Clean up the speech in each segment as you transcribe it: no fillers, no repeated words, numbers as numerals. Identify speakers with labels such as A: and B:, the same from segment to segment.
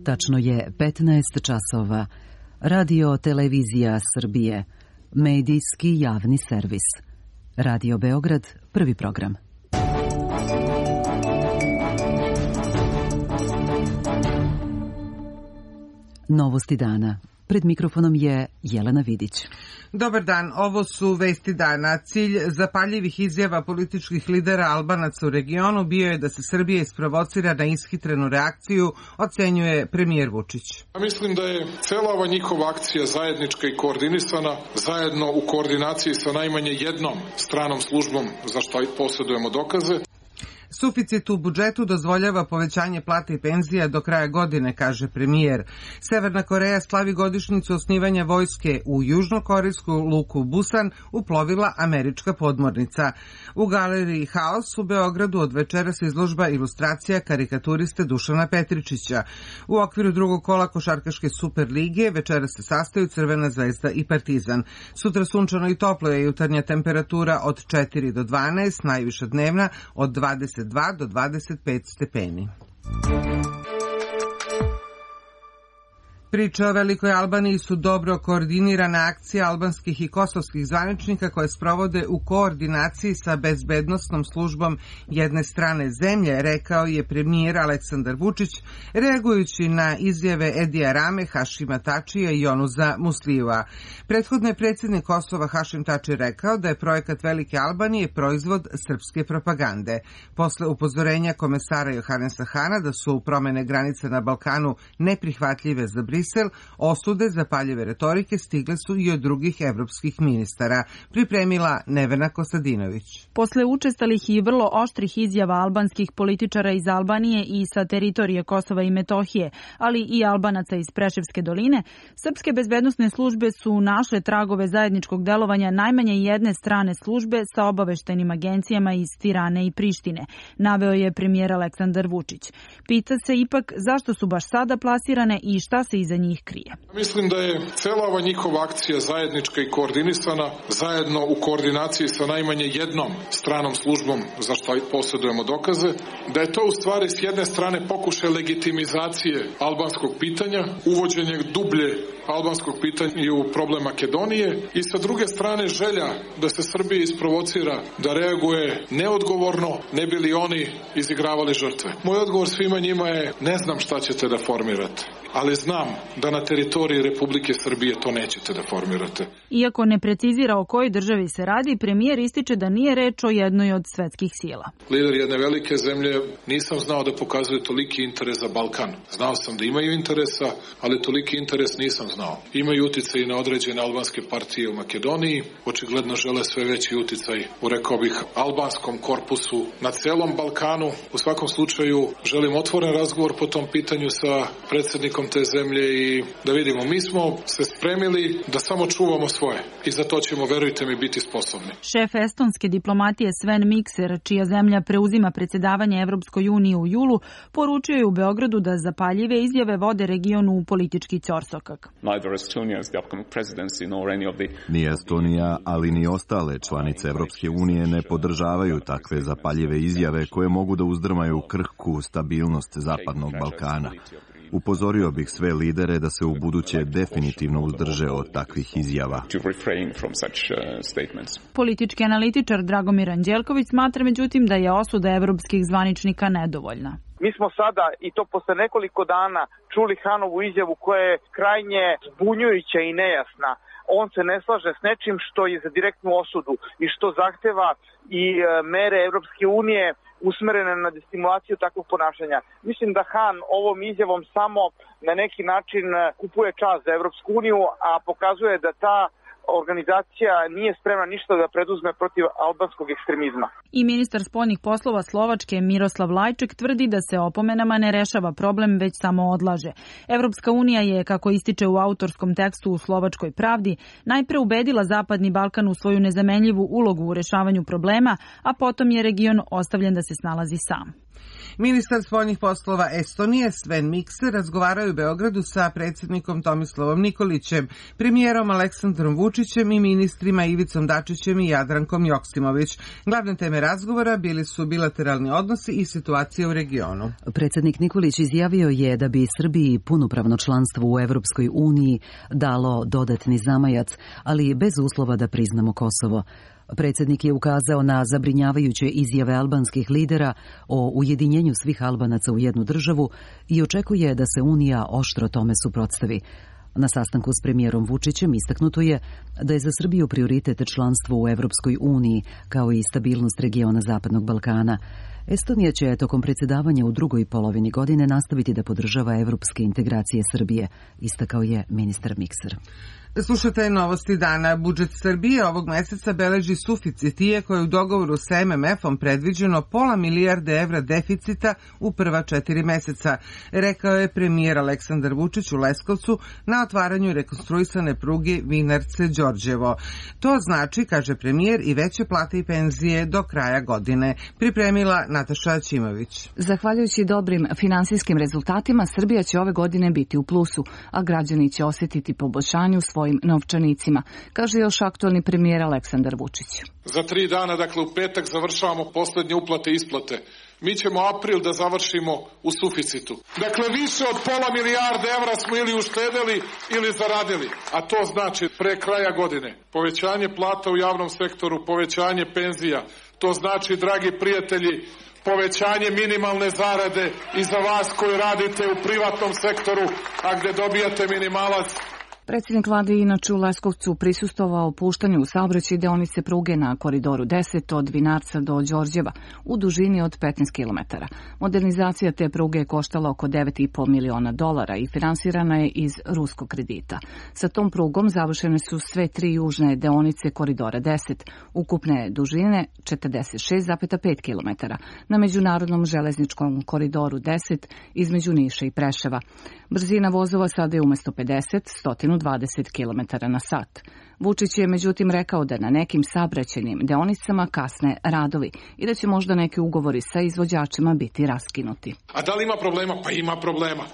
A: Tačno je 15 časova. Radio Televizija Srbije. Medijski javni servis. Radio Beograd, prvi program. Novosti dana. Pred mikrofonom je Jelena Vidić.
B: Dobar dan, ovo su vesti dana. Cilj zapaljivih izjava političkih lidera Albanaca u regionu bio je da se Srbija isprovocira na ishitrenu reakciju, ocenjuje premijer Vučić.
C: Mislim da je cela ova njihova akcija zajednička i koordinisana, zajedno u koordinaciji sa najmanje jednom stranom službom za što posjedujemo dokaze.
B: Suficit u budžetu dozvoljava povećanje plata i penzija do kraja godine, kaže premijer. Severna Koreja slavi godišnjicu osnivanja vojske u južnokorejsku luku Busan uplovila američka podmornica. U galeriji Haos u Beogradu od večeras izložba ilustracija karikaturiste Dušana Petričića. U okviru drugog kola košarkaške Super lige večeras se sastaju Crvena zvezda i Partizan. Sutra sunčano i toplo je jutarnja temperatura od 4 do 12, najviša dnevna od 22 do 25 stepeni. Priče o Velikoj Albaniji su dobro koordinirana akcija albanskih i kosovskih zvaničnika koje sprovode u koordinaciji sa bezbednosnom službom jedne strane zemlje, rekao je premijer Aleksandar Vučić, reagujući na izjave Edija Rame, Hašima Tačija i Jonusa Muslijeva. Prethodno je predsjednik Kosova Hašim Tači rekao da je projekat Velike Albanije proizvod srpske propagande. Posle upozorenja komesara Johanesa Hana da su promene granice na Balkanu neprihvatljive za Brisel, osude zapaljive retorike stigle su i od drugih evropskih ministara, pripremila Nevena Kostadinović.
D: Posle učestalih i vrlo oštrih izjava albanskih političara iz Albanije i sa teritorije Kosova i Metohije, ali i Albanaca iz Preševske doline, srpske bezbednosne službe su našle tragove zajedničkog delovanja najmanje jedne strane službe sa obaveštajnim agencijama iz Tirane i Prištine, naveo je premijer Aleksandar Vučić. Pita se ipak zašto su baš sada plasirane i šta se iza njih krije.
C: Mislim da je cela ova njihova akcija zajednička i koordinisana, zajedno u koordinaciji sa najmanje jednom stranom službom za što posjedujemo dokaze, da je to u stvari s jedne strane pokušaj legitimizacije albanskog pitanja, uvođenje dublje albanskog pitanja u problem Makedonije i sa druge strane želja da se Srbija isprovocira, da reaguje neodgovorno, ne bi li oni izigravali žrtve. Moj odgovor svima njima je ne znam šta ćete da formirate, ali znam da na teritoriji Republike Srbije to nećete da formirate.
D: Iako ne precizira o kojoj državi se radi, premijer ističe da nije reč o jednoj od svetskih sila.
C: Lider jedne velike zemlje nisam znao da pokazuje toliki interes za Balkan. Znao sam da imaju interesa, ali toliki interes nisam znao. Imaju uticaj i na određene albanske partije u Makedoniji, očigledno žele sve veći uticaj u, rekao bih, albanskom korpusu na celom Balkanu. U svakom slučaju želim otvoren razgovor po tom pitanju sa predsjednikom te zemlje i da vidimo, mi smo se spremili da samo čuvamo svoje i za to ćemo, verujte mi, biti sposobni.
D: Šef estonske diplomatije Sven Mikser, čija zemlja preuzima predsjedavanje Evropskoj uniji u julu, poručio je u Beogradu da zapaljive izjave vode regionu u politički ćorsokak.
E: Ni Estonija, ali ni ostale članice Evropske unije ne podržavaju takve zapaljive izjave koje mogu da uzdrmaju krhku stabilnost Zapadnog Balkana. Upozorio bih sve lidere da se u buduće definitivno uzdrže od takvih izjava.
D: Politički analitičar Dragomir Anđelković smatra međutim da je osuda evropskih zvaničnika nedovoljna.
F: Mi smo sada, i to posle nekoliko dana, čuli Hanovu izjavu koja je krajnje zbunjujuća i nejasna. On se ne slaže s nečim što je za direktnu osudu i što zahteva i mere Evropske unije usmerene na destimulaciju takvog ponašanja. Mislim da Han ovom izjavom samo na neki način kupuje čas za Evropsku uniju, a pokazuje da ta organizacija nije spremna ništa da preduzme protiv albanskog ekstremizma.
D: I ministar spoljnih poslova Slovačke Miroslav Lajček tvrdi da se opomenama ne rešava problem, već samo odlaže. Evropska unija je, kako ističe u autorskom tekstu u Slovačkoj pravdi, najpre ubedila Zapadni Balkan u svoju nezamenljivu ulogu u rešavanju problema, a potom je region ostavljen da se snalazi sam.
B: Ministar spoljnih poslova Estonije Sven Mikser razgovarao u Beogradu sa predsjednikom Tomislavom Nikolićem, premijerom Aleksandrom Vučićem i ministrima Ivicom Dačićem i Jadrankom Joksimović. Glavne teme razgovora bili su bilateralni odnosi i situacija u regionu.
A: Predsjednik Nikolić izjavio je da bi Srbiji punopravno članstvo u Evropskoj uniji dalo dodatni zamajac, ali bez uslova da priznamo Kosovo. Predsjednik je ukazao na zabrinjavajuće izjave albanskih lidera o ujedinjenju svih Albanaca u jednu državu i očekuje da se Unija oštro tome suprotstavi. Na sastanku s premijerom Vučićem istaknuto je da je za Srbiju prioritet članstvo u Evropskoj uniji, kao i stabilnost regiona Zapadnog Balkana. Estonija će tokom predsjedavanja u drugoj polovini godine nastaviti da podržava evropske integracije Srbije, istakao je ministar Mikser.
B: Slušate novosti dana. Budžet Srbije ovog meseca beleži suficit, iako je u dogovoru sa MMF-om predviđeno pola milijarde evra deficita u prva 4 meseca, rekao je premijer Aleksandar Vučić u Leskovcu na otvaranju rekonstruisane pruge Vinarce-Đorđevo. To znači, kaže premijer, i veće plate i penzije do kraja godine. Pripremila Nataša Ćimović.
G: Zahvaljujući dobrim finansijskim rezultatima, Srbija će ove godine biti u plusu, a građani će osjetiti poboljšanje u svojim novčanicima, kaže još aktualni premijer Aleksandar Vučić.
C: Za 3 dana, dakle u petak, završavamo poslednje uplate i isplate. Mi ćemo april da završimo u suficitu. Dakle, više od pola milijarde evra smo ili uštedeli ili zaradili, a to znači pre kraja godine povećanje plata u javnom sektoru, povećanje penzija. To znači, dragi prijatelji, povećanje minimalne zarade i za vas koji radite u privatnom sektoru, a gde dobijate minimalac.
G: Predsjednik vlade inače u Leskovcu prisustvovao puštanju u saobraćaj deonice pruge na koridoru 10 od Vinarca do Đorđeva u dužini od 15 km. Modernizacija te pruge je koštala oko $9,5 miliona i finansirana je iz ruskog kredita. Sa tom prugom završene su sve 3 južne deonice koridora 10, ukupne dužine 46,5 km na međunarodnom železničkom koridoru 10 između Niša i Preševa. Brzina vozova sada je umesto 50, 120 km na sat. Vučić je međutim rekao da na nekim saobraćajnim deonicama kasne radovi i da će možda neki ugovori sa izvođačima biti raskinuti.
C: A da li ima problema? Pa ima problema.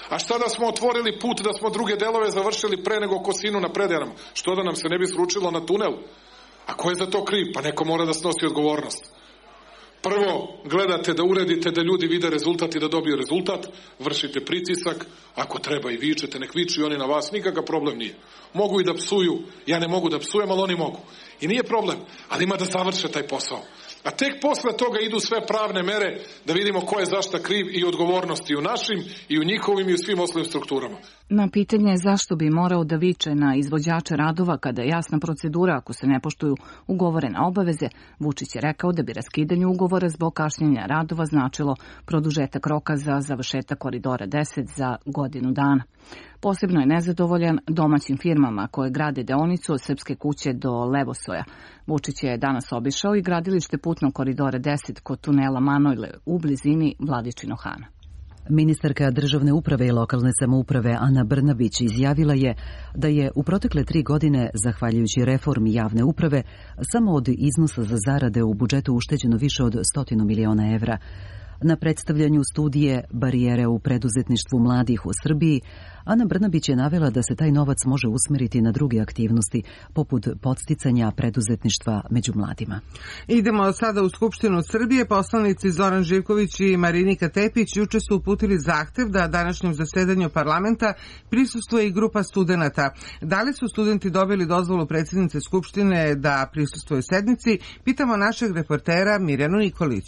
C: A šta da smo otvorili put, da smo druge delove završili pre nego Kosinu na Prederama? Što da nam se ne bi sručilo na tunel? A ko je za to kriv? Pa neko mora da snosi odgovornost. Prvo, gledate da uredite da ljudi vide rezultat i da dobiju rezultat, vršite pritisak, ako treba i vičete, nek viču i oni na vas, nikakav problem nije. Mogu i da psuju, ja ne mogu da psujem, ali oni mogu. I nije problem, ali ima da završe taj posao. A tek posle toga idu sve pravne mere da vidimo ko je zašta kriv i odgovornosti u našim i u njihovim i u svim ostalim strukturama.
G: Na pitanje zašto bi morao da viče na izvođače radova kada je jasna procedura ako se ne poštuju ugovorene obaveze, Vučić je rekao da bi raskidanje ugovora zbog kašnjenja radova značilo produžetak roka za završetak koridora 10 za godinu dana. Posebno je nezadovoljan domaćim firmama koje grade deonicu od Srpske kuće do Levosoja. Vučić je danas obišao i gradilište putnog koridora 10 kod tunela Manojle u blizini Vladičinog Hana.
A: Ministarka državne uprave i lokalne samouprave Ana Brnabić izjavila je da je u protekle 3 godine, zahvaljujući reformi javne uprave, samo od iznosa za zarade u budžetu ušteđeno više od 100 miliona evra. Na predstavljanju studije Barijere u preduzetništvu mladih u Srbiji, Ana Brnabić je navela da se taj novac može usmeriti na druge aktivnosti, poput podsticanja preduzetništva među mladima.
B: Idemo sada u Skupštinu Srbije. Poslanici Zoran Živković i Marinika Tepić juče su uputili zahtev da današnjem zasedanju parlamenta prisustvuje i grupa studenata. Da li su studenti dobili dozvolu predsjednice Skupštine da prisustvuje sednici? Pitamo našeg reportera Mirjanu Nikolić.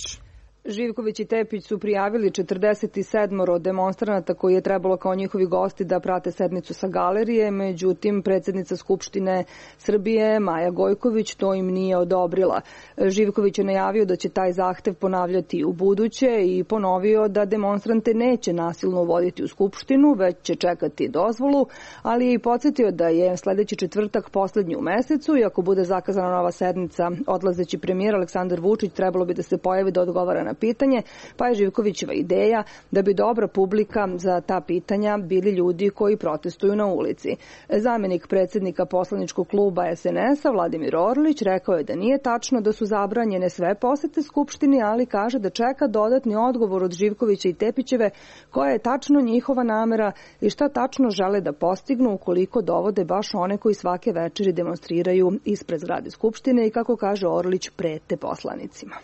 H: Živković i Tepić su prijavili 47 demonstranata koji je trebalo kao njihovi gosti da prate sednicu sa galerije, međutim predsjednica Skupštine Srbije Maja Gojković to im nije odobrila. Živković je najavio da će taj zahtev ponavljati u buduće i ponovio da demonstrante neće nasilno uvoditi u Skupštinu, već će čekati dozvolu, ali je i podsjetio da je sledeći četvrtak poslednji u mesecu i ako bude zakazana nova sednica, odlazeći premijer Aleksandar Vučić trebalo bi da se pojavi da odgovara na pitanje, pa je Živkovićeva ideja da bi dobra publika za ta pitanja bili ljudi koji protestuju na ulici. Zamenik predsjednika poslaničkog kluba SNS-a Vladimir Orlić rekao je da nije tačno da su zabranjene sve posete Skupštini, ali kaže da čeka dodatni odgovor od Živkovića i Tepićeve koja je tačno njihova namera i šta tačno žele da postignu ukoliko dovode baš one koji svake večeri demonstriraju ispred zgrade Skupštine i, kako kaže Orlić, prete poslanicima.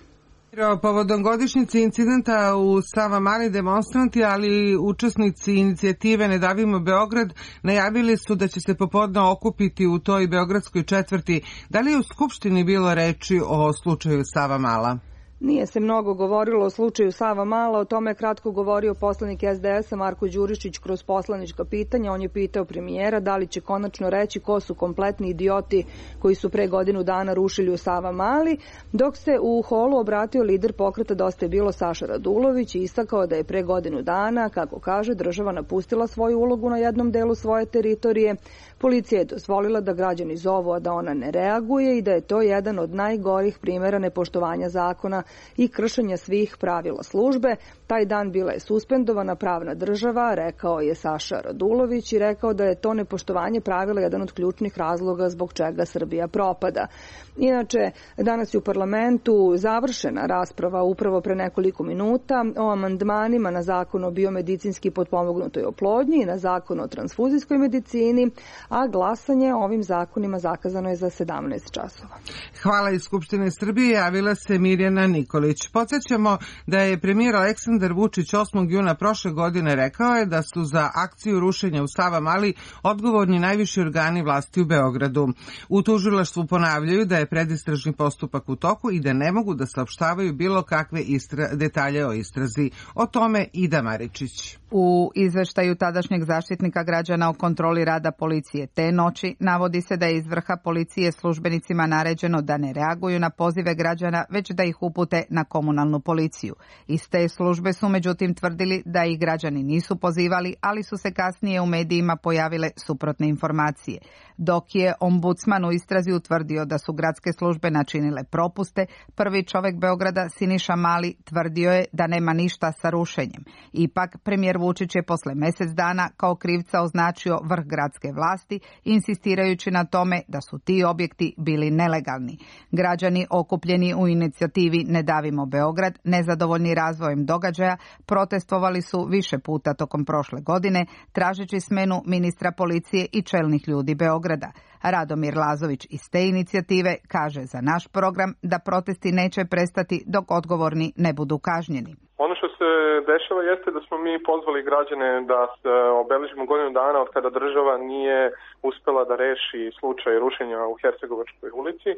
B: Povodom godišnjice incidenta u Savamali, demonstranti, ali i učesnici inicijative Ne davimo Beograd najavili su da će se popodne okupiti u toj beogradskoj četvrti. Da li je u Skupštini bilo reči o slučaju Savamala?
H: Nije se mnogo govorilo o slučaju Savamala, o tome je kratko govorio poslanik SDS-a Marko Đurišić kroz poslanička pitanja. On je pitao premijera da li će konačno reći ko su kompletni idioti koji su pre godinu dana rušili u Savamali, dok se u holu obratio lider pokreta Dosta je bilo Saša Radulović i istakao da je pre godinu dana, kako kaže, država napustila svoju ulogu na jednom delu svoje teritorije. Policija je dozvolila da građani zovu, a da ona ne reaguje i da je to jedan od najgorih primjera nepoštovanja zakona i kršenja svih pravila službe. Taj dan bila je suspendovana pravna država, rekao je Saša Radulović i rekao da je to nepoštovanje pravila jedan od ključnih razloga zbog čega Srbija propada. Inače, danas je u parlamentu završena rasprava upravo pre nekoliko minuta o amandmanima na zakon o biomedicinski potpomognutoj oplodnji i na zakon o transfuzijskoj medicini, a glasanje o ovim zakonima zakazano je za 17 časova.
B: Hvala iz Skupštine Srbije, javila se Mirjana Nikolić. Podsjećamo da je premijer Aleksandar Vučić 8. juna prošle godine rekao je da su za akciju rušenja u Savamali odgovorni najviši organi vlasti u Beogradu. U tužilaštvu ponavljaju da je predistražni postupak u toku i da ne mogu da saopštavaju bilo kakve detalje o istrazi. O tome Ida Maričić.
I: U izveštaju tadašnjeg zaštitnika građana o kontroli rada policije te noći navodi se da je iz vrha policije službenicima naređeno da ne reaguju na pozive građana, već da ih upute na komunalnu policiju. Iz te službe su međutim tvrdili da ih građani nisu pozivali, ali su se kasnije u medijima pojavile suprotne informacije. Dok je ombudsman u istrazi utvrdio da su gradske službe načinile propuste, prvi čovjek Beograda Siniša Mali tvrdio je da nema ništa sa rušenjem. Ipak premijer Vučić je posle mjesec dana kao krivca označio vrh gradske vlasti, insistirajući na tome da su ti objekti bili nelegalni. Građani okupljeni u inicijativi Ne davimo Beograd, nezadovoljni razvojem događaja, protestovali su više puta tokom prošle godine, tražeći smenu ministra policije i čelnih ljudi Beograda. Radomir Lazović iz te inicijative kaže za naš program da protesti neće prestati dok odgovorni ne budu kažnjeni.
J: Ono što se dešava jeste da smo mi pozvali građane da se obeležimo godinu dana od kada država nije uspela da reši slučaj rušenja u Hercegovačkoj ulici.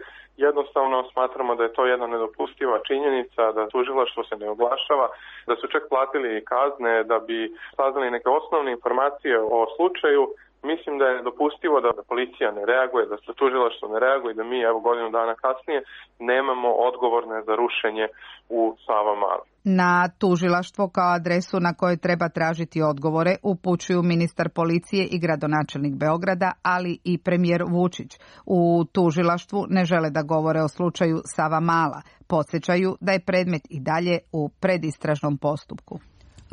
J: Jednostavno smatramo da je to jedna nedopustiva činjenica, da tužilaštvo se ne oglašava, da su čak platili kazne da bi saznali neke osnovne informacije o slučaju. Mislim da je nedopustivo da policija ne reaguje, da se tužilaštvo ne reaguje i da mi evo godinu dana kasnije nemamo odgovorne za rušenje u Savamali.
I: Na tužilaštvo kao adresu na kojoj treba tražiti odgovore upućuju ministar policije i gradonačelnik Beograda, ali i premijer Vučić. U tužilaštvu ne žele da govore o slučaju Savamala. Podsjećaju da je predmet i dalje u predistražnom postupku.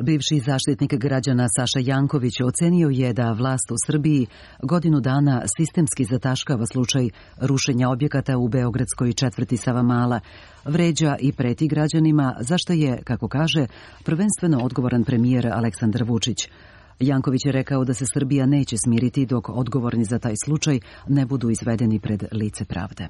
A: Bivši zaštitnik građana Saša Janković ocenio je da vlast u Srbiji godinu dana sistemski zataškava slučaj rušenja objekata u beogradskoj četvrti Savamala, vređa i preti građanima, za što je, kako kaže, prvenstveno odgovoran premijer Aleksandar Vučić. Janković je rekao da se Srbija neće smiriti dok odgovorni za taj slučaj ne budu izvedeni pred lice pravde.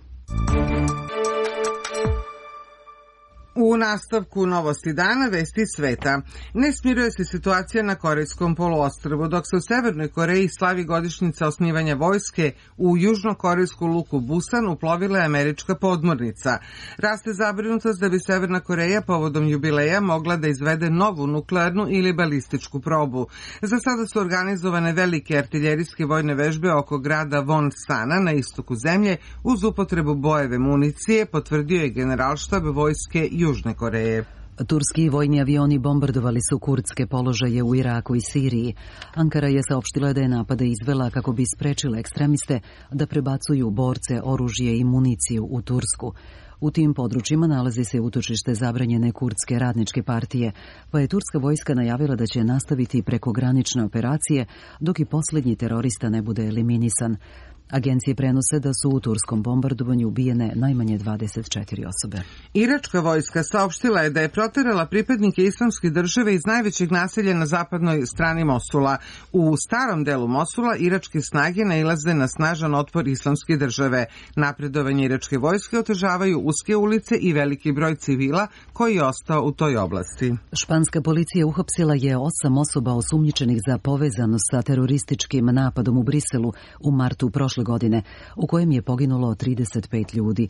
B: U nastavku novosti dana, vesti sveta. Ne smiruje se situacija na Korejskom poluostrvu, dok se u Severnoj Koreji slavi godišnjica osnivanja vojske, u južnokorejsku luku Busan uplovila je američka podmornica. Raste zabrinutost da bi Severna Koreja povodom jubileja mogla da izvede novu nuklearnu ili balističku probu. Za sada su organizovane velike artiljerijske vojne vežbe oko grada Wonsana na istoku zemlje uz upotrebu bojeve municije, potvrdio je generalštab vojske Južne Koreje.
A: Turski vojni avioni bombardovali su kurdske položaje u Iraku i Siriji. Ankara je saopštila da je napade izvela kako bi sprečila ekstremiste da prebacuju borce, oružje i municiju u Tursku. U tim područjima nalazi se utočište zabranjene kurdske radničke partije, pa je turska vojska najavila da će nastaviti prekogranične operacije dok i posljednji terorista ne bude eliminisan. Agencije prenose da su u turskom bombardovanju ubijene najmanje 24 osobe.
B: Iračka vojska saopštila je da je proterala pripadnike Islamske države iz najvećeg naselja na zapadnoj strani Mosula. U starom delu Mosula iračke snage nailaze na snažan otpor Islamske države. Napredovanje iračke vojske otežavaju uske ulice i veliki broj civila koji je ostao u toj oblasti.
A: Španska policija uhapsila je 8 osoba osumnjičenih za povezanost sa terorističkim napadom u Briselu u martu prošle godine, u kojem je poginulo 35 ljudi.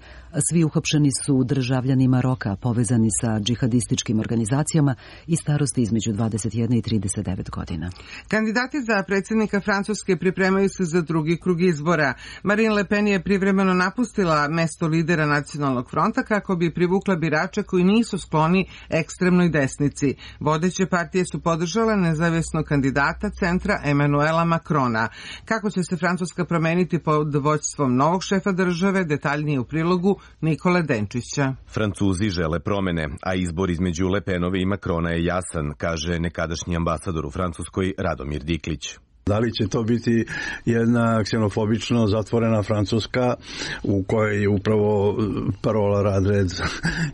A: Svi uhapšeni su državljani Maroka, povezani sa džihadističkim organizacijama i starosti između 21 i 39 godina.
B: Kandidati za predsjednika Francuske pripremaju se za drugi krug izbora. Marine Le Pen je privremeno napustila mesto lidera Nacionalnog fronta kako bi privukla birače koji nisu skloni ekstremnoj desnici. Vodeće partije su podržale nezavisnog kandidata centra Emanuela Macrona. Kako će se Francuska promeniti pod vođstvom novog šefa države, detaljnije u prilogu Nikole Denčića.
K: Francuzi žele promene, a izbor između Le Penove i Macrona je jasan, kaže nekadašnji ambasador u Francuskoj Radomir Diklić.
L: Da li će to biti jedna ksenofobično zatvorena Francuska u kojoj je upravo parola rad, red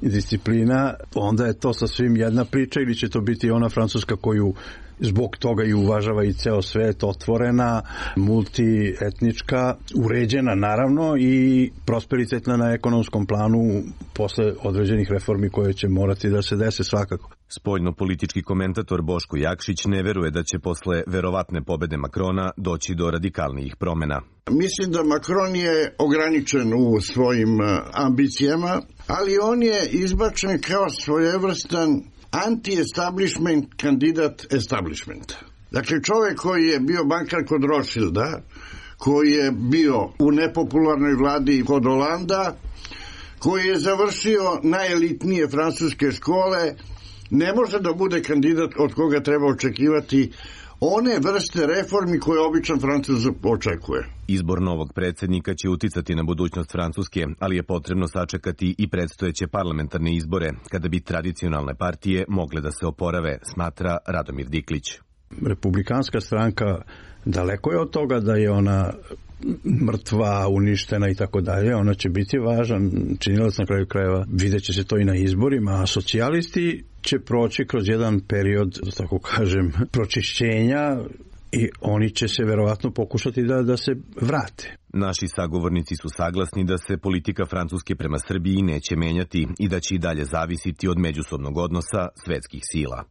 L: i disciplina, onda je to sasvim jedna priča, ili će to biti ona Francuska koju zbog toga i uvažava i ceo svet, otvorena, multietnička, uređena naravno i prosperitetna na ekonomskom planu posle određenih reformi koje će morati da se dese svakako.
K: Spoljno-politički komentator Boško Jakšić ne veruje da će posle verovatne pobede Macrona doći do radikalnijih promena.
M: Mislim da Macron je ograničen u svojim ambicijama, ali on je izbačen kao svojevrstan anti-establishment kandidat establishmenta. Dakle, čovjek koji je bio bankar kod Rothschilda, koji je bio u nepopularnoj vladi kod Holanda, koji je završio najelitnije francuske škole, ne može da bude kandidat od koga treba očekivati one vrste reformi koje običan Francuz očekuje.
K: Izbor novog predsjednika će uticati na budućnost Francuske, ali je potrebno sačekati i predstojeće parlamentarne izbore, kada bi tradicionalne partije mogle da se oporave, smatra Radomir Diklić.
L: Republikanska stranka daleko je od toga da je ona mrtva, uništena i tako dalje. Ona će biti važan činilac na kraju krajeva. Vidjet će se to i na izborima, a socijalisti će proći kroz jedan period, tako kažem, pročišćenja i oni će se verovatno pokušati da se vrate.
K: Naši sagovornici su saglasni da se politika Francuske prema Srbiji neće menjati i da će i dalje zavisiti od međusobnog odnosa svetskih sila.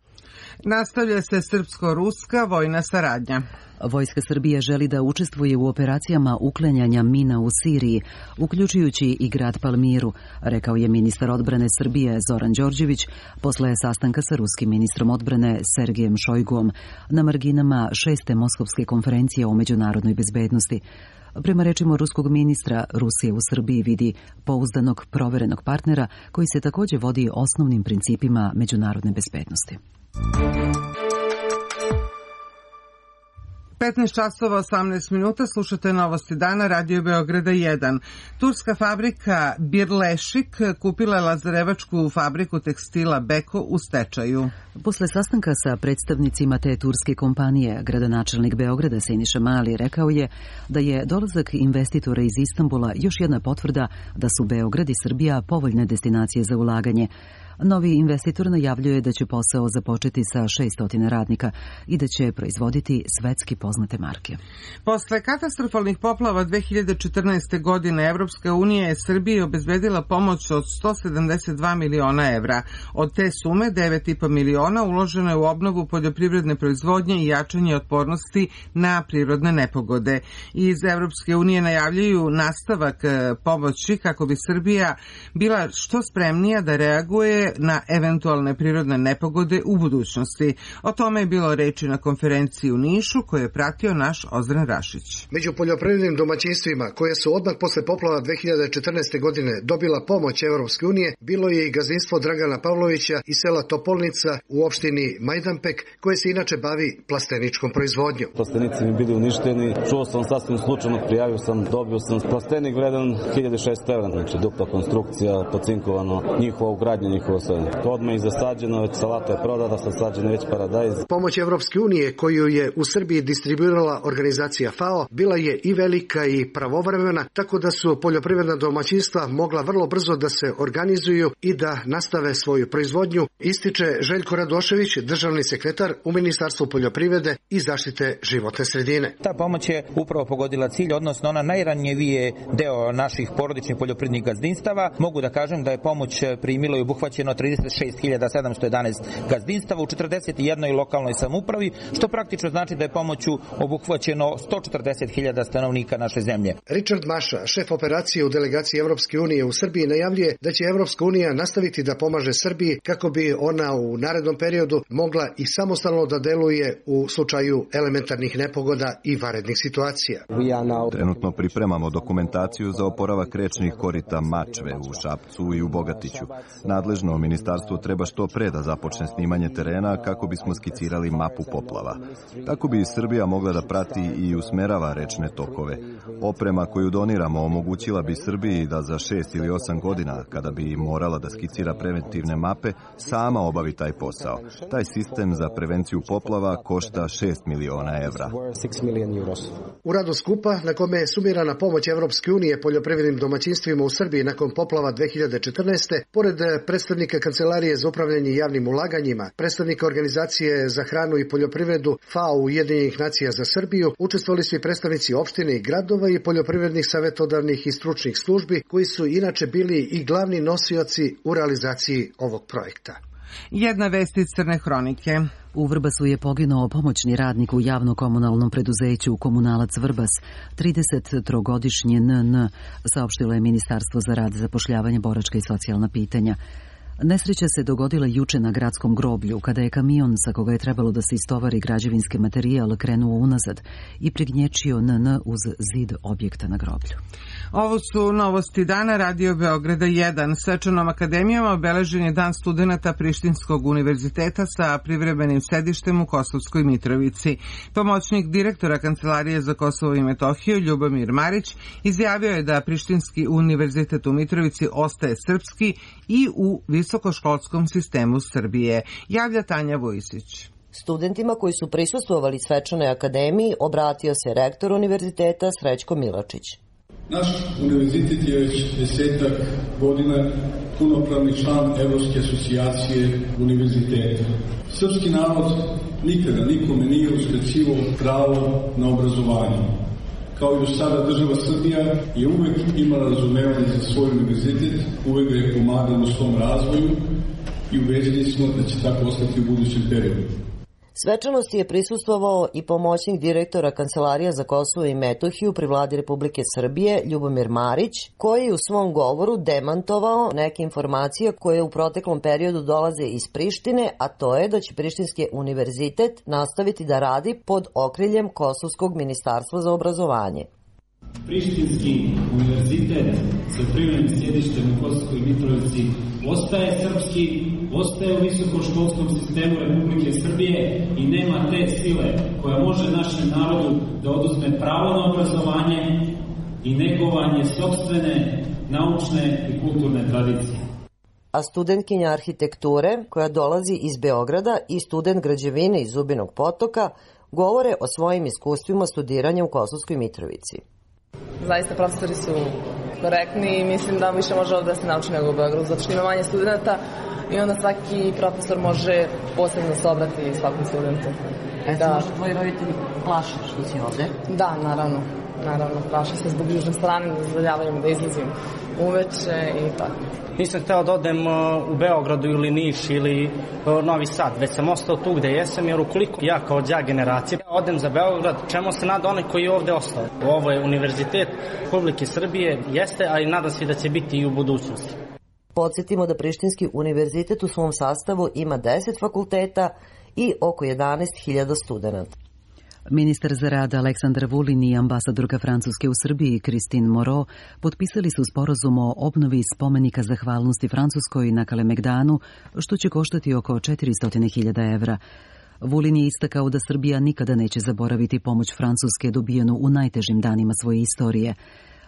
B: Nastavlja se srpsko-ruska vojna saradnja.
A: Vojska Srbije želi da učestvuje u operacijama uklanjanja mina u Siriji, uključujući i grad Palmiru, rekao je ministar odbrane Srbije Zoran Đorđević posle sastanka sa ruskim ministrom odbrane Sergejem Šojguom na marginama 6. Moskovske konferencije o međunarodnoj bezbednosti. Prema rečima ruskog ministra, Rusija u Srbiji vidi pouzdanog, proverenog partnera koji se također vodi osnovnim principima međunarodne bezbednosti.
B: 15 časova 18 minuta, slušate Novosti dana, Radio Beograda 1. Turska fabrika Birlešik kupila je lazarevačku fabriku tekstila Beko u stečaju.
A: Posle sastanka sa predstavnicima te turske kompanije, gradonačelnik Beograda Siniša Mali rekao je da je dolazak investitora iz Istanbula još jedna potvrda da su Beograd i Srbija povoljne destinacije za ulaganje. Novi investitor najavljuje da će posao započeti sa 600 radnika i da će proizvoditi svetski poznate marke.
B: Posle katastrofalnih poplava 2014. godine Evropska unija je Srbiji obezbedila pomoć od 172 miliona evra. Od te sume 9,5 miliona uloženo je u obnovu poljoprivredne proizvodnje i jačanje otpornosti na prirodne nepogode. Iz Evropske unije najavljuju nastavak pomoći kako bi Srbija bila što spremnija da reaguje uticaje na eventualne prirodne nepogode u budućnosti. O tome je bilo reči na konferenciji u Nišu koju je pratio naš Ozren Rašić.
N: Među poljoprivrednim domaćinstvima koje su odmah posle poplava 2014. godine dobila pomoć Evropske unije bilo je i gazdinstvo Dragana Pavlovića iz sela Topolnica u opštini Majdanpek koje se inače bavi plasteničkom proizvodnjom.
O: Plastenici mi bili uništeni, čuo sam sasvim slučajno, prijavio sam, dobio sam plastenik vredan 1600 evra, znači dupla konstrukcija, pocinkovano, njihova ugradnja, njihova sve. Odmah i zasađeno, već salata je prodata, sasađeno već paradajz.
N: Pomoć Evropske unije koju je u Srbiji distribuirala organizacija FAO bila je i velika i pravovremena, tako da su poljoprivredna domaćinstva mogla vrlo brzo da se organizuju i da nastave svoju proizvodnju, ističe Željko Radošević, državni sekretar u Ministarstvu poljoprivrede i zaštite životne sredine.
P: Ta pomoć je upravo pogodila cilj, odnosno ona najranjivije deo naših porodičnih poljoprivrednih gazdinstava. Mogu da kažem da je pomoć primilo i obuhvaćeno 36.711 gazdinstava u 41 lokalnoj samoupravi, što praktično znači da je pomoću obuhvaćeno 140.000 stanovnika naše zemlje.
N: Richard Maša, šef operacije u delegaciji Evropske unije u Srbiji, najavljuje da će Evropska unija nastaviti da pomaže Srbiji kako bi ona u narednom periodu mogla i samostalno da deluje u slučaju elementarnih nepogoda i vanrednih situacija.
E: Trenutno pripremamo dokumentaciju za oporavak rečnih korita Mačve u Šapcu i u Bogatiću. Nadležno ministarstvo treba što pre da započne snimanje terena kako bismo skicirali mapu poplava. Tako bi Srbija mogla da prati i usmerava rečne tokove. Oprema koju doniramo omogućila bi Srbiji da za 6 ili 8 godina, kada bi morala da skicira preventivne mape, sama obavi taj posao. Taj sistem za prevenciju poplava košta 6 miliona evra.
N: U radu skupa, na kome je sumirana pomoć Evropske unije poljoprivrednim domaćinstvima u Srbiji nakon poplava 2014. pored predstavnika Kancelarije za upravljanje javnim ulaganjima, predstavnika Organizacije za hranu i poljoprivredu FAO Ujedinjenih nacija za Srbiju, učestvovali su i predstavnici opštine i gradova i poljoprivrednih savetodavnih i stručnih službi, koji su inače bili i glavni nosioci u realizaciji ovog projekta.
B: Jedna vest iz Crne hronike.
A: U Vrbasu je poginuo pomoćni radnik u javno-komunalnom preduzeću Komunalac Vrbas, 33-godišnji NN, saopštilo je Ministarstvo za rad, zapošljavanje, boračka i socijalna pitanja. Nesreća se dogodila juče na gradskom groblju, kada je kamion sa koga je trebalo da se istovari građevinski materijal krenuo unazad i prignječio NN uz zid objekta na groblju.
B: Ovo su novosti dana Radio Beograda 1. Svečanom akademijom obeležen je Dan studenata Prištinskog univerziteta sa privremenim sedištem u Kosovskoj Mitrovici. Pomoćnik direktora Kancelarije za Kosovo i Metohiju Ljubomir Marić izjavio je da Prištinski univerzitet u Mitrovici ostaje srpski i u visokoškolskom sistemu Srbije. Javlja Tanja Vojsić.
Q: Studentima koji su prisustvovali svečanoj akademiji obratio se rektor univerziteta Srećko Milačić.
R: Naš univerzitet je već 10 godina punopravni član Evropske asocijacije univerziteta. Srpski narod nikada nikome nije uskraćivao pravo na obrazovanje. Kao i do sada država Srbija je uvek imala razumevanje za svoj univerzitet, uvek ga je pomagala u svom razvoju i ubeđeni smo da će tako ostati u budućem periodu.
Q: Svečanosti je prisustvovao i pomoćnik direktora Kancelarija za Kosovo i Metohiju pri vladi Republike Srbije Ljubomir Marić, koji je u svom govoru demantovao neke informacije koje u proteklom periodu dolaze iz Prištine, a to je da će Prištinski univerzitet nastaviti da radi pod okriljem Kosovskog ministarstva za obrazovanje.
S: Prištinski univerzitet sa privremenim sjedištem u Kosovskoj Mitrovici ostaje srpski, ostaje u visokoškolskom sistemu Republike Srbije i nema te sile koja može našem narodu da oduzme pravo na obrazovanje i negovanje sopstvene naučne i kulturne tradicije.
Q: A studentkinja arhitekture, koja dolazi iz Beograda, i student građevine iz Zubinog Potoka govore o svojim iskustvima studiranja u Kosovskoj Mitrovici.
T: Zaista profesori su korektni i mislim da više može ovdje da se nauči nego u Beogradu, zato što ima manje studenta i onda svaki profesor može posebno se obrati svakom studentu.
Q: Da. Možda tvoji roditelji plaše što si ovde?
T: Da, naravno. Plaše se zbog južne strane, da dozvoljavaju da izlazim uveče i tako.
U: Nisam hteo da odem u Beogradu ili Niš ili Novi Sad, već sam ostao tu gde jesam, jer ukoliko ja kao đak generacije odem za Beograd, čemu se nada onaj koji je ovde ostao? Ovo je univerzitet Republike Srbije, jeste, ali nadam se da će biti i u budućnosti.
Q: Podsjetimo da Prištinski univerzitet u svom sastavu ima 10 fakulteta i oko 11.000 studenta.
A: Ministar za rad Aleksandar Vulin i ambasadorka Francuske u Srbiji Christine Moreau potpisali su sporazum o obnovi spomenika zahvalnosti Francuskoj na Kalemegdanu, što će koštati oko 400.000 evra. Vulin je istakao da Srbija nikada neće zaboraviti pomoć Francuske dobijenu u najtežim danima svoje istorije.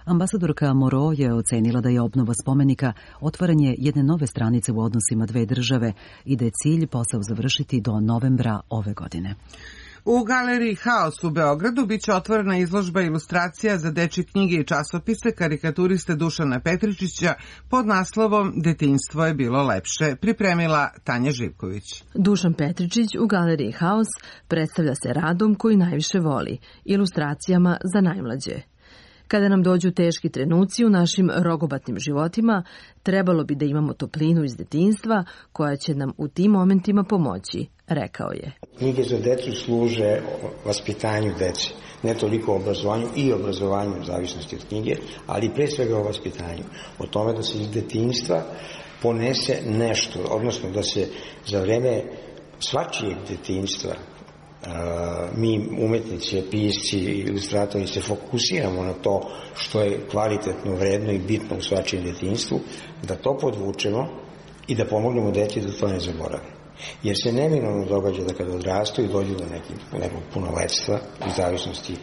A: Ambasadorka Moreau je ocenila da je obnova spomenika otvaranje jedne nove stranice u odnosima dve države i da je cilj posao završiti do novembra ove godine.
B: U galeriji Haos u Beogradu biće otvorena izložba ilustracija za dečje knjige i časopise karikaturiste Dušana Petričića pod naslovom Detinjstvo je bilo lepše, pripremila Tanja Živković.
F: Dušan Petričić u galeriji Haos predstavlja se radom koji najviše voli, ilustracijama za najmlađe. Kada nam dođu teški trenuci u našim rogobatnim životima, trebalo bi da imamo toplinu iz detinjstva koja će nam u tim momentima pomoći, rekao je.
V: Knjige za decu služe vaspitanju dece, ne toliko obrazovanju i obrazovanju u zavisnosti od knjige, ali pre svega o vaspitanju. O tome da se iz detinjstva ponese nešto, odnosno da se za vreme svačijeg detinjstva mi umetnici, pisci, ilustratori se fokusiramo na to što je kvalitetno, vredno i bitno u svačijem detinjstvu, da to podvučemo i da pomognemo deci da to ne zaborave. Jer se neminovno događa da kada odrastu i dođu do nekog punoletstva, u zavisnosti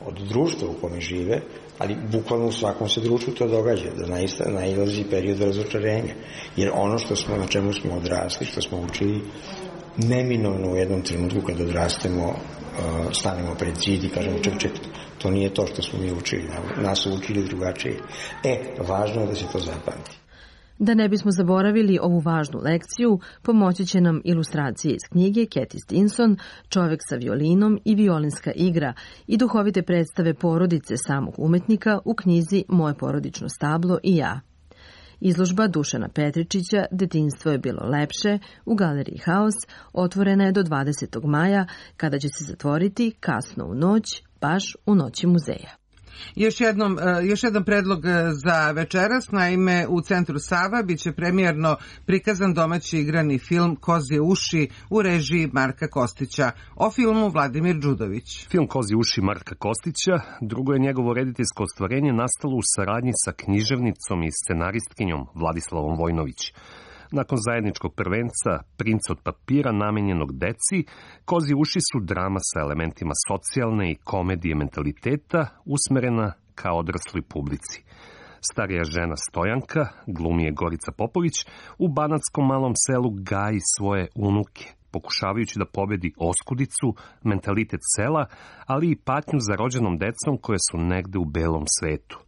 V: od društva u kome žive, ali bukvalno u svakom se društvu to događa, da nailazi period razočarenja. Jer ono na čemu smo odrasli, što smo učili, neminovno u jednom trenutku kada odrastemo stanemo pred zid i kažemo ček, to nije to što smo mi učili, nas su učili drugačije. Važno je da se to zapamti.
F: Da ne bismo zaboravili ovu važnu lekciju, pomoći će nam ilustracije iz knjige Cathy Stinson, Čovek sa violinom i violinska igra i duhovite predstave porodice samog umetnika u knjizi Moje porodično stablo i ja. Izložba Dušana Petričića Detinjstvo je bilo lepše u galeriji Haos otvorena je do 20. maja, kada će se zatvoriti kasno u noć, baš u noći muzeja.
B: Još jedan predlog za večeras, naime u Centru Sava biće premijerno prikazan domaći igrani film Kozje uši u režiji Marka Kostića. O filmu Vladimir Đudović.
W: Film Kozje uši Marka Kostića drugo je njegovo rediteljsko ostvarenje nastalo u saradnji sa književnicom i scenaristkinjom Vladislavom Vojnović. Nakon zajedničkog prvenca Princ od papira namenjenog deci, Kozje uši su drama sa elementima socijalne i komedije mentaliteta usmerena ka odrasloj publici. Starija žena Stojanka, glumi je Gorica Popović, u banatskom malom selu gaji svoje unuke, pokušavajući da pobedi oskudicu, mentalitet sela, ali i patnju za rođenom decom koje su negde u belom svetu.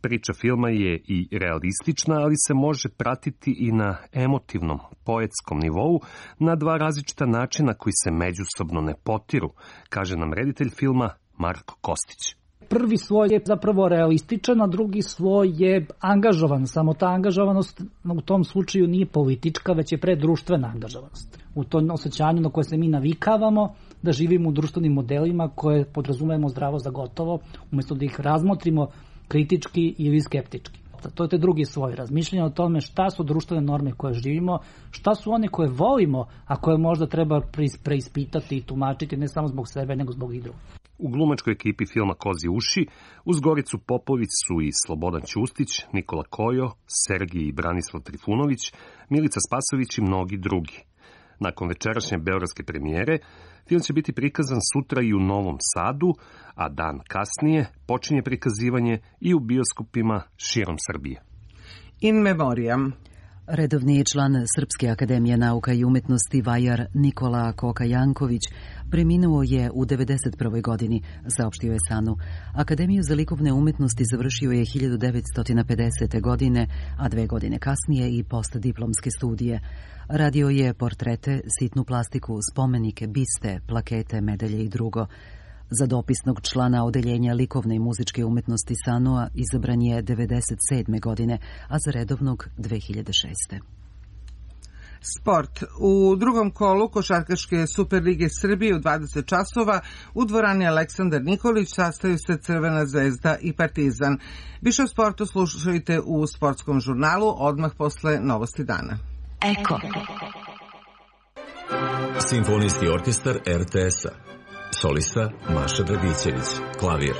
W: Priča filma je i realistična, ali se može pratiti i na emotivnom, poetskom nivou na dva različita načina koji se međusobno ne potiru, kaže nam reditelj filma Marko Kostić.
X: Prvi sloj je zapravo realističan, a drugi sloj je angažovan. Samo ta angažovanost u tom slučaju nije politička, već je predruštvena angažovanost. U tom osjećanju na koje se mi navikavamo da živimo u društvenim modelima koje podrazumemo zdravo za gotovo, umjesto da ih razmotrimo kritički ili skeptički. To je te drugi sloj razmišljanja o tome šta su društvene norme koje živimo, šta su one koje volimo, a koje možda treba preispitati i tumačiti ne samo zbog sebe, nego zbog i drugih.
W: U glumačkoj ekipi filma Kozje uši uz Goricu Popović su i Slobodan Ćustić, Nikola Kojo, Sergij i Branislav Trifunović, Milica Spasović i mnogi drugi. Nakon večerašnje beogradske premijere, film će biti prikazan sutra i u Novom Sadu, a dan kasnije počinje prikazivanje i u bioskopima širom Srbije.
B: In memoriam.
A: Redovni član Srpske akademije nauka i umetnosti Vajar Nikola Koka Janković preminuo je u 91. godini, saopštio je SANU. Akademiju za likovne umetnosti završio je 1950. godine, a 2 godine kasnije i postdiplomske studije. Radio je portrete, sitnu plastiku, spomenike, biste, plakete, medalje i drugo. Za dopisnog člana odeljenja likovne i muzičke umetnosti SANU-a izabran je 1997. godine, a za redovnog 2006.
B: Sport. U drugom kolu Košarkaške Superlige Srbije u 20 časova u dvorani Aleksandar Nikolić sastaju se Crvena zvezda i Partizan. Više o sportu slušajte u sportskom žurnalu odmah posle Novosti dana.
C: Eko. Simfonijski orkestar RTS-a. Solista Maša Dragićević. Klavir.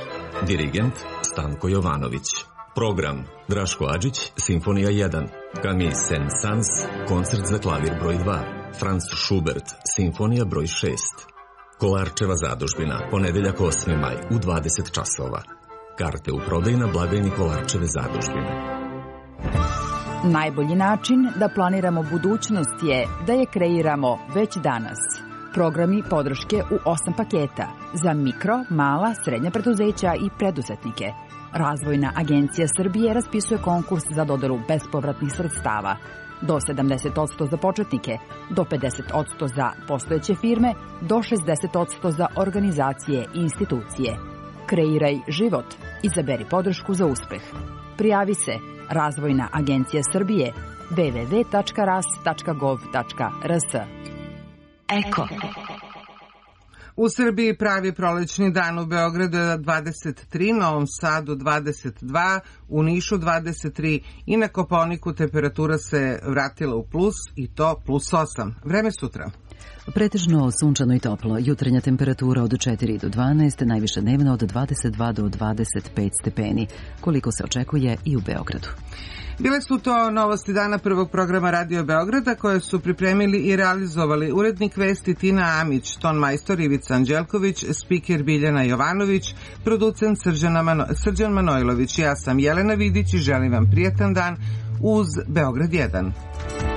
C: Dirigent Stanko Jovanović. Program Draško Adžić, Simfonija 1, Camille Saint-Saëns, koncert za klavir broj 2, Franz Schubert, Simfonija broj 6. Kolarčeva zadužbina, ponedeljak 8. maj u 20 časova. Karte u prodaju na blagajni Kolarčeve zadužbine.
D: Najbolji način da planiramo budućnost je da je kreiramo već danas. Programi podrške u 8 paketa za mikro, mala, srednja preduzeća i preduzetnike. Razvojna agencija Srbije raspisuje konkurs za dodelu bespovratnih sredstava. Do 70% za početnike, do 50% za postojeće firme, do 60% za organizacije i institucije. Kreiraj život. Izaberi podršku za uspeh. Prijavi se Razvojna agencija Srbije www.ras.gov.rs.
C: Eko.
B: U Srbiji pravi prolećni dan, u Beogradu je 23, Novom Sadu 22, u Nišu 23 i na Kopaoniku temperatura se vratila u plus i to plus 8. Vreme sutra.
A: Pretežno sunčano i toplo, jutarnja temperatura od 4 do 12, najviše dnevno od 22 do 25 stepeni, koliko se očekuje i u Beogradu.
B: Bile su to novosti dana prvog programa Radio Beograda koje su pripremili i realizovali urednik vesti Tina Amić, ton majstor Ivica Anđelković, spiker Biljana Jovanović, producent Srđan Manojlović. Ja sam Jelena Vidić i želim vam prijetan dan uz Beograd 1.